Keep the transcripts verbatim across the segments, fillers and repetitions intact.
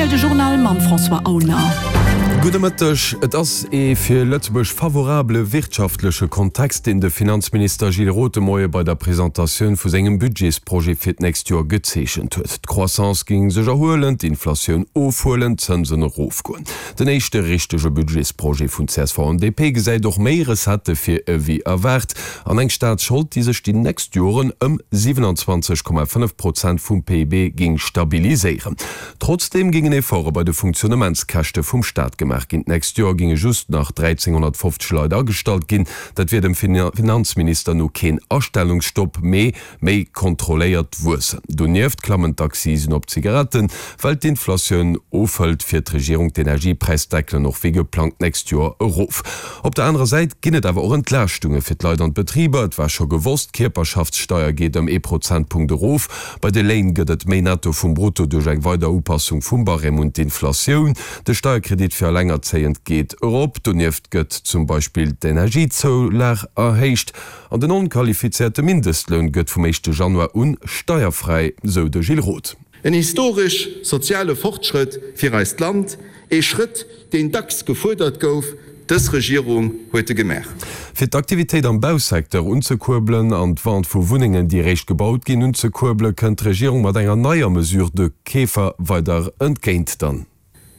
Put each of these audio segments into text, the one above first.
zwiel de Journal mam François Aulner. Gudde Mëtteg. Et ass ee fir Lëtzebuerg favorabele wirtschaftleche Kontext, deen de Finanzminister Gilles Roth de Moie bei der Presentatioun vu sengem Budgetsprojet fir d'nächst Joer gezeechent huet. D'Croissance géing sech erhuelen, d'Inflatioun ofhuelen, d'Zënsen erofgoen. Den éischte richtege Budgetsprojet vun csv an D P gesäit och méi Recettë vir ewéi erwaart an eng Staatsschold, déi sech déi nächst Joren ëm siwenanzwanzeg Komma fënnef Prozent vum P I B géing stabiliséieren. Trotzdeem géingen Efforte bei de Funktionnementskäschte vum Staat gemaach ginn. D'nächst Joer géinge just nach dräizénghonnertfofzeg Leit agestallt ginn. Dat wier dem Finanzminister no keen Astellungsstopp, mee méi kontrolléiert Wuessen. Donieft klammen d'Accisen op Zigaretten. Well d'Inflatioun ofhëlt, fiert d'Regierung d'Energiepräisdeckelen och wéi geplangt d'nächst Joer erof. Op der anerer Säit ginn et awer och Entlaaschtunge fir d'Leit an d'Betriber. Et war scho gewosst, d'Kierperschaftssteier geet ëm ee Prozentpunkt erof. Bei de Léin gëtt et méi Netto vum Brutto duerch eng weider Upassung vum Barème un d'Inflatioun. De Steierkredit fir Allengerzéiend geet erop. Donieft gëtt zum Beispill d'Energiezoulag erhéicht an den onqualifizéierte Mindestloun gëtt vum éischte Januar un steierfräi, sou de Gilles Roth. En historesch soziale Fortschrëtt fir eist Land, ee Schrëtt, deen dacks gefuerdert gouf, dës Regierung huet e gemaach. Fir d'Aktivitéit am Bausecteur unzekuerbelen an d'Vente vu Wunnengen, déi eréischt gebaut ginn, unzekuerbelen, kënnt d'Regierung mat enger neier Mesure de Keefer weider entgéint. Dann.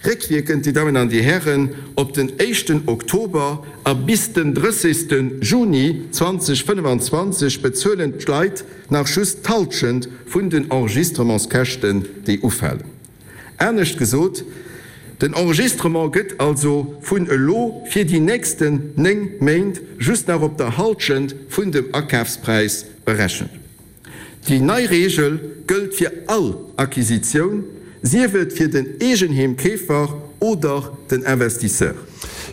Réckwierkend, Dir Dammen an Dir Hären, op den éischten Oktober a bis den drëssegste Juni zwanzeg fënnefenzwanzeg bezuelen d'Leit nach just d'Hallschent vun den Enregistrementskäschten, déi ufalen. Anescht gesot, den Enregistrement gëtt also vun elo fir déi nächsten néng Méint just nach op der Hallschent vun dem Akafspräis berechent. Déi nei Reegel gëllt fir all Acquisitioun, sief et fir den Eegenheemkeefer oder den Investisseur.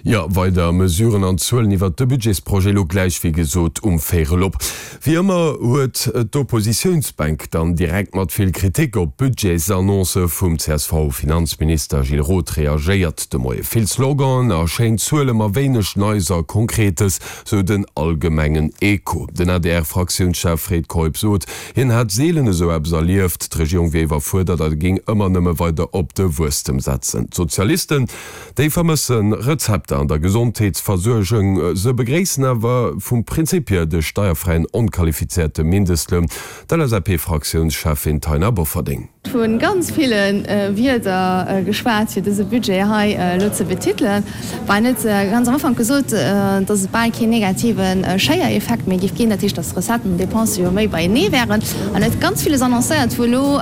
Jo, weider Mesuren an Zuelen iwwert de Budgetsprojet elo gläich, wéi gesot, um Véirel op. Wéi ëmmer huet d'Oppositiounsbänk dann direkt mat vill Kritik op d'Budgetsannonce vum C S V-Finanzminister Gilles Roth reagéiert de Moie. Vill Sloganen a schéin Zuele ma wéineg Neis a Konkretes, sou den allgemengen Echo. Den A D R-Fraktiounschef Fred Keup sot, hien hätt seelen esou eppes erlieft, d'Regierung wier iwwerfuerdert a géing ëmmer nëmme weider op de Wuesstem setzen. D'Sozialisten, déi vermësse Rezepter an der Gesondheetsversuergung. Se begréissen awer vum Prinzip hier de steierfräien onqualifizéierte Mindestloun. D'L S A P-Fraktiounscheffin Taina Bofferding. Vu ganz ville Wierder geschwat, fir dëse Budget hei elo ze betitelen. War net ganz am Ufank gesot, datt et bal keen negative Schéiereffekt méi géif ginn, dat heescht, datt d'Recetten an d'Dépense jo méi beienee wären. An huet ganz villes annoncéiert, wou elo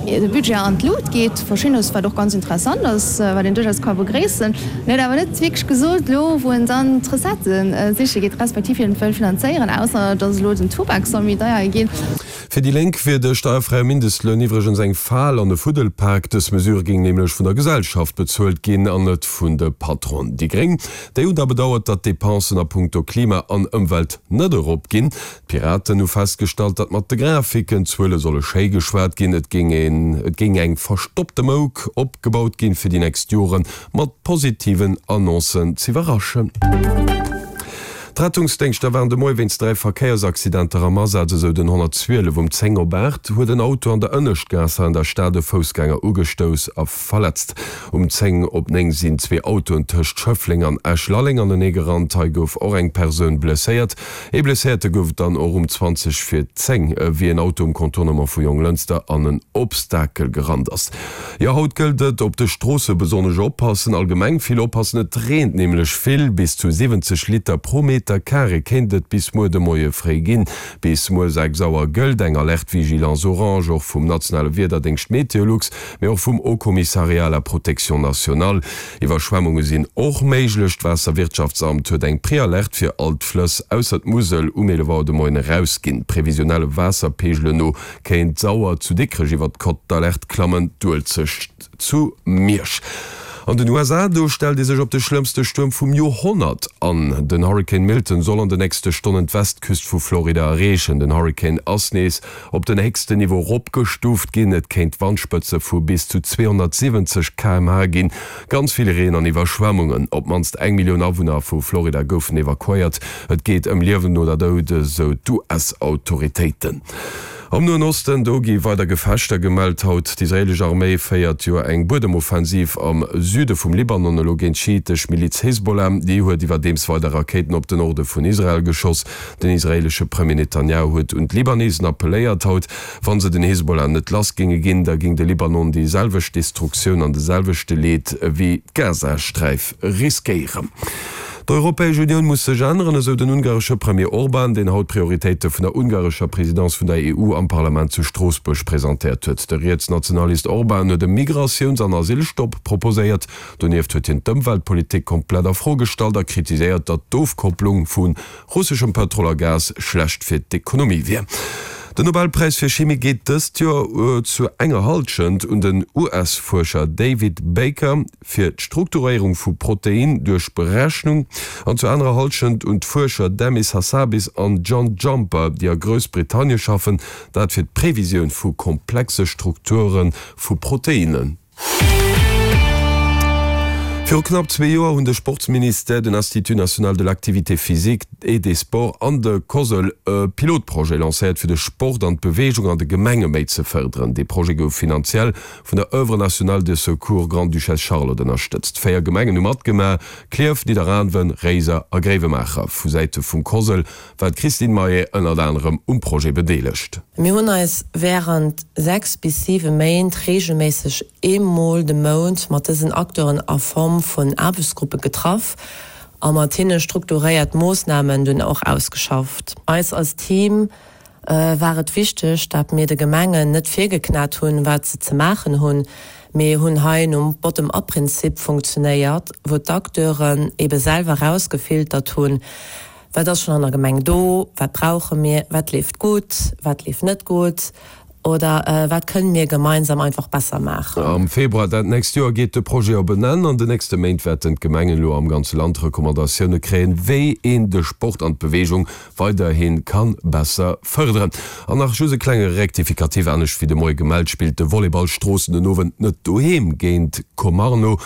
de Budget an d'Lut geet, Verschiddenes, wat och ganz interessant ass, wat een duerchaus ka begréissen. En huet awer net wierklech gesot elo, wou en dann d'Recettë siche geet, respektiv wéi en et wëll finanzéieren, ausser datt elo den Tubak soll méi deier ginn. Fir déi Lénk wier de steierfräie Mindestloun iwwregens eng Fal an e Fuddelpak. Dës Mesure géing nämlech vun der Gesellschaft bezuelt ginn an net vun de Patronen. Déi Gréng, déi hunn da bedauert, datt d'Depensen a punkto Klima an Ëmwelt net erop ginn. D'Piraten hu festgestallt, datt mat de Grafiken d'Zuele solle schéi geschwat ginn. Et géing een, et géing eng verstoppte Mouk opgebaut ginn, fir déi nächst Jore mat positiven Annoncen z'iwwerraschen. D'Rettungsdéngschter waren de Moie wéinst dräi Verkéiersaccidenter am Asaz. Esou den honnertzwielef um zéng op aacht huet en Auto an der Ënneschtgaass an der Stad e Foussgänger ugestouss a verletzt. Um zéng op néng sinn zwee Autoen tëscht Schëffleng an Esch-Lalleng anenee gerannt. Hei gouf och eng Persoun blesséiert. Ee Blesséierte gouf et dann och um zwanzeg vir zéng, wéi en Auto um Contournement vu Jonglënster an en Obstakel gerannt ass. Jo, haut gëllt et, op de Stroosse besonnesch oppassen, allgemeng vill oppassen. Et reent nämlech vill, bis zu siwwenzeg Liter pro Meter carré kéint et bis muer de Moie fréi ginn. Bis muer sechs Auer gëllt eng Alerte vigilance orange, och vum nationale Wiederdéngscht Meteolux, mee och vum Haut Commissariat à la protection nationale. Iwwerschwemmunge sinn och méiglech. D'Waasserwirtschaftsamt huet eng Prealerte fir all d'Flëss ausser d'Musel um eelef Auer de Moien erausginn. Previsionelle Waasserpeegelen no kéint d'Sauer zu Dikrech iwwer d'Cote d'alerte klammen, d'Uelzecht zu Miersch. An den U S A, do stellt ee sech op de schlëmmste Stuerm vum Joerhonnert an. Den Hurrikan Milton soll an de nächste Stonnen d'Westküst vu Florida erreechen. Den Hurrikan ass nees op den héchsten Niveau eropgestuuft ginn. Et kéint Wandspëtze vu bis zu zweehonnertsiwwenzeg K M H ginn, ganz vill Reen an Iwwerschwemmungen. Op d'mannst eng Millioun Awunner vu Florida goufen evakuéiert. Et geet ëm Liewen oder Doud, esou d'U S-Autoritéiten. Am Noen Osten, do gi weider Gefechter gemellt haut. D'israeelesch Arméi féiert jo eng Buedemoffensiv am Süde vum Libanon elo géint d'schiitesch Miliz Hezbollah. Déi huet iwwerdeems weider Rakéiten op den Norde vun Israel geschoss. Den israeelesche Premier Netanjahu huet un d'Libanesen appelléiert haut, wa se den Hezbollah net lass géinge ginn, da géing de Libanon déi selwecht Destruktioun an de selwechte Leed wéi d'Gazasträif riskéieren. D'Europäesch Unioun muss sech änneren, esou den ungaresche Premier Orban, deen haut d'Prioritéite vun der ungarescher Presidence vun der E U am Parlament zu Stroossbuerg presentéiert huet. De Rietsnationalist Orban huet e Migratiouns an Asylstopp proposéiert. Donieft huet hien d'Ëmweltpolitik komplett a Fro gestallt a kritiséiert, datt d'Ofkopplung vu russeschem Pëtrol a Gas schlecht fir d'Ekonomie wier. Den Nobelpräis fir Chimie geet dëst Joer zu enger Hallschent un den U S-Fuerscher David Baker fir d'Strukturéierung vu Protein duerch Berechnung an zur anerer Hallschent un d'Fuerscher Demis Hassabis an John Jumper, déi a Groussbritannie schaffen, dat fir d'Previsioun vu komplexe Strukture vu Proteinen. Viru knapp zwee Joer hunn de Sportsministère, den Institut national de l'activité physique et des sports an de COSL e Pilotprojet lancéiert, fir de Sport an d'Beweegung an de Gemenge méi ze fërderen. Dee Projet gouf finanziell vun der Oeuvre nationale de secours Grande-Duchesse Charlotte ënnerstëtzt. Véier Gemengen hu matgemaach, Klierf, Nidderaanwen, Réiser a Gréiwemaacher. Vu Säite vum COSL war d'Christine Maillet ënnert anerem um Projet bedeelegt. Mir hunn eis wärend sechs bis siwe Méint reegelméisseg eemol de Mount mat dësen Acteuren a Form vun Aarbechtsgruppe getraff a mat hinne strukturéiert Moossnamen dunn och ausgeschafft. Eis als Team war et wichteg, dat mir de Gemengen net virgeknat hunn, wat se ze maachen hunn, mee hunn hei nom Bottom-up-Prinzip funktionéiert, wou d'Acteuren ebe selwer erausgefiltert hunn, Wat ass schonn an der Gemeng do, wat brauche mir, wat leeft gutt, wat leeft net gutt oder wat kënnen mir gemeinsam einfach besser maachen. Am Februar dat nächst Joer geet de Projet op en Enn. An den nächste Méint wäerten d'Gemengen elo am ganze Land Recommandatioune kréien, wéi een de Sport an d'Beweegung weiderhi ka besser fërderen. An nach just e klenge Rectificatif, Anescht wéi de Moie gemellt, spillt de Volleyball Stroossen den Owend net doheem géint Komarno,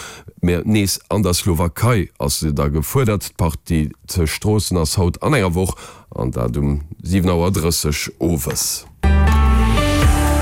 mä nees an der Slowakei ass se da gefuerdert. D'Partie zu Stroossen ass haut an enger Woch an dat um siwen Auer drësseg owes.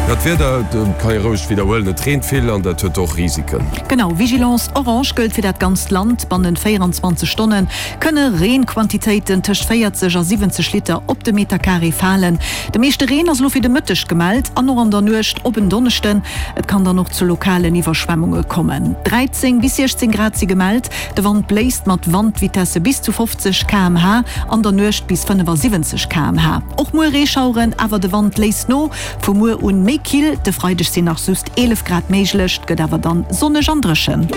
Jo, d'Wieder, kann ee roueg widderhuelen, et reent vill an dat huet och Risiken. Genau, Vigilance orange gëllt fir dat ganzt Land. Bannent véieranzwanzeg Stonne kënne Reenquantitéiten tëscht véierzeg a siwwenzeg Liter op de Meterkaree falen. De meeschte Reen ass elo fir de Mëtteg gemellt an och an der Nuecht op en Donneschden. Et kann dann och zu lokalen Iwwerschwemmunge kommen. dräizéng bis siechzéng Grad si gemellt, de Wand bléist mat Wandvitesse bis zu fofzeg K M H, an der Nuecht bis fënnefasiwwenzeg K M H. Och muer Reeschaueren, awer de Wand léisst no. Vu muer un méi kill, de Freideg sinn nach just eelef Grad méiglech, et gëtt awer dann sonneg an dréchen.